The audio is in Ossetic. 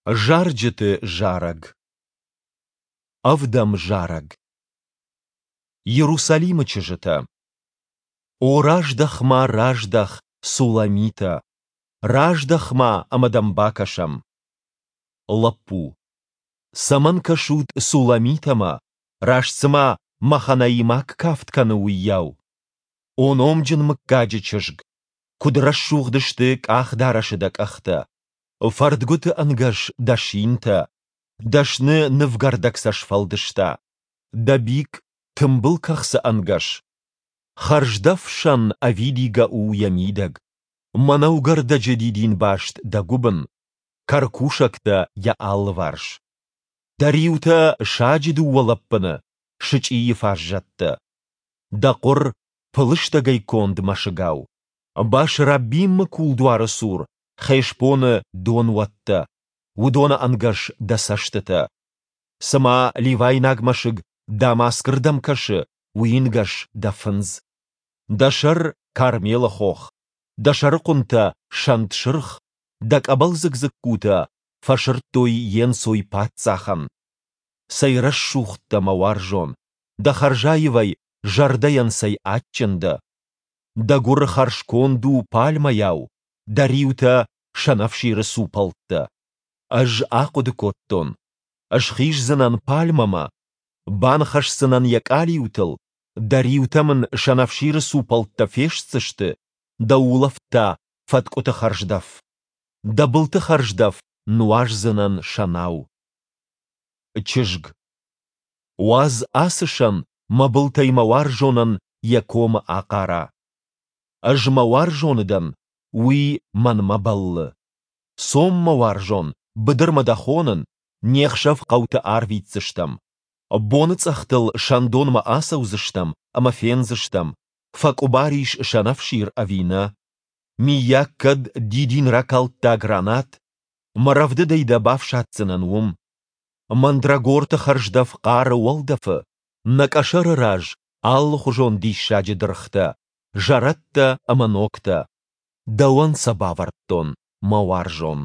Зарджыты зарӕг. Ӕвдӕм зарӕг. Иерусалимы чызджытӕ. О, раздӕх-ма, раздӕх, Суламитӕ! Раздӕх-ма, ӕмӕ дӕм бакӕсӕм. Лӕппу. Цӕмӕн кӕсут Суламитӕмӕ, раст цыма маханаимаг кафт кӕны, уыйау? О номджын мыггаджы чызг, куыд рӕсугъд сты къахдарӕсы дӕ къӕхтӕ! Фӕрдгуыты ӕнгӕс дӕ синтӕ, дӕсны нывгӕрдӕг сӕ сфӕлдыста. Дӕ бикъ тымбыл кӕхцы ӕнгӕс. Хӕрздӕф сӕн ӕвидигӕ у йӕ мидӕг. Мӕнӕугӕрдӕджы дидинбаст дӕ гуыбын, кӕркусӕгтӕ йӕ алыварс. Дӕ риутӕ саджы дыууӕ лӕппыны, сычъийы фаззӕттӕ. Дӕ хъуыр пылыстӕгӕй конд мӕсыгау. Бас-Раббимы кулдуары цур Хешбоны донуӕттӕ, уыдоны ӕнгӕс дӕ цӕстытӕ. Цыма ливайнаг мӕсыг Дамаскы рдӕм кӕсы, уый ӕнгӕс дӕ фындз. Дӕ сӕр Кармелы хох, дӕ сӕрыхъуынтӕ сӕнт сырх, дӕ къӕбӕлдзыг дзыккутӕ фӕсырдтой йе нцой паддзахӕн. Цӕй рӕсугъд дӕ, мӕ уарзон, дӕ хӕрзаивӕй зӕрдӕйӕн цӕй адджын дӕ. Дӕ гуыр хӕрзконд у пальмӕйау, дӕ риутӕ сӕнӕфсиры цупӕлттӕ. Ӕз ахъуыды кодтон, схиздзынӕн пальмӕмӕ, баныхӕсдзынӕн йӕ къалиутыл, дӕ риутӕ мын сӕнӕфсиры цупӕлттӕ фестдзысты, дӕ улӕфт та фӕткъуыты хӕрздӕф. Дӕ былты хӕрздӕф нуаздзынӕн сӕнау. Чызг. Уадз ацы сӕн мӕ былтӕй мӕ уарзонӕн йӕ комы ахъара. Ӕз мӕ уарзоны дӕн, уый мӕнмӕ бӕллы. Цом, мӕ уарзон, быдырмӕ дӕ хонын, не хсӕв хъӕуты арвитдзыстӕм. Боныцъӕхтыл сӕндонмӕ ацӕудзыстӕм ӕмӕ фендзыстӕм, фӕкъуыбар ис сӕнӕфсир ӕви нӕ. Миййаг кӕд дидин ракалдта гранат, мӕ рӕвдыдӕй дӕ бафсаддзынӕн уым. Мандрагорты хӕрздӕф хъары уӕлдӕфы, нӕ къӕсӕры раз алыхуызон диссаджы дыргътӕ, зӕрӕдтӕ ӕмӕ ногтӕ. Дӕуӕн сӕ бавӕрдтон, мӕ уарзон.